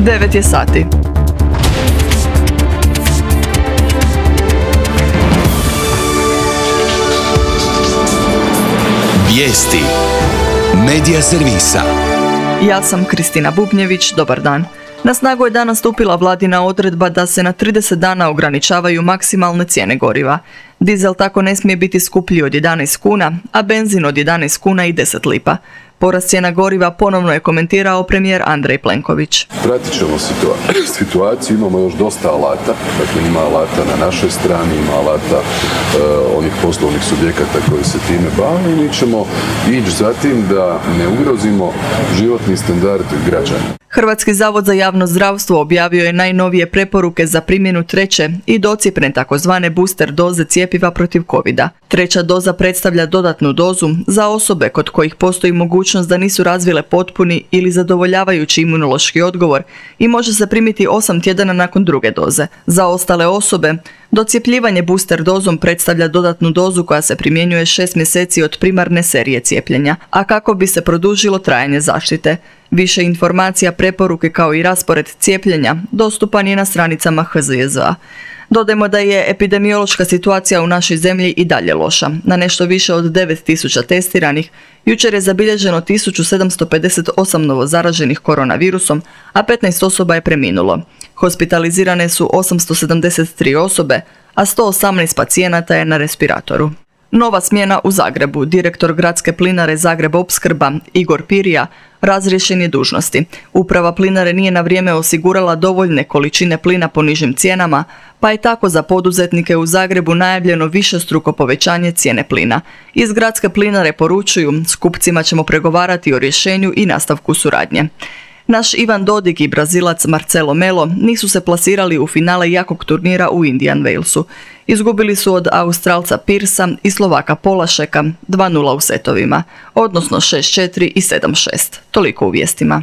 9 je sati. Vijesti Medija servisa. Ja sam Kristina Bubnjević, dobar dan. Na snagu je danas stupila vladina odredba da se na 30 dana ograničavaju maksimalne cijene goriva. Dizel tako ne smije biti skuplji od 11 kuna, a benzin od 11 kuna i 10 lipa. Porast cijena goriva ponovno je komentirao premijer Andrej Plenković. Pratit ćemo situaciju, imamo još dosta alata, dakle ima alata na našoj strani, ima alata onih poslovnih subjekata koji se time bave i mi ćemo ići za tim da ne ugrozimo životni standard građana. Hrvatski zavod za javno zdravstvo objavio je najnovije preporuke za primjenu treće i docjepne takozvane booster doze cjepiva protiv covida. Treća doza predstavlja dodatnu dozu za osobe kod kojih postoji mogućnost da nisu razvile potpuni ili zadovoljavajući imunološki odgovor i može se primiti 8 tjedana nakon druge doze. Za ostale osobe, docjepljivanje booster dozom predstavlja dodatnu dozu koja se primjenjuje 6 mjeseci od primarne serije cijepljenja, a kako bi se produžilo trajanje zaštite. Više informacija, preporuke kao i raspored cijepljenja dostupan je na stranicama HZJZ-a. Dodajmo da je epidemiološka situacija u našoj zemlji i dalje loša. Na nešto više od 9.000 testiranih, jučer je zabilježeno 1758 novozaraženih koronavirusom, a 15 osoba je preminulo. Hospitalizirane su 873 osobe, a 118 pacijenata je na respiratoru. Nova smjena u Zagrebu. Direktor Gradske plinare Zagreb Opskrba Igor Pirija razriješen je dužnosti. Uprava plinare nije na vrijeme osigurala dovoljne količine plina po nižim cijenama, pa je tako za poduzetnike u Zagrebu najavljeno višestruko povećanje cijene plina. Iz Gradske plinare poručuju, s kupcima ćemo pregovarati o rješenju i nastavku suradnje. Naš Ivan Dodig i Brazilac Marcelo Melo nisu se plasirali u finale jakog turnira u Indian Walesu. Izgubili su od Australca Pearsa i Slovaka Polašeka 2:0 u setovima, odnosno 6:4 i 7:6. Toliko u vijestima.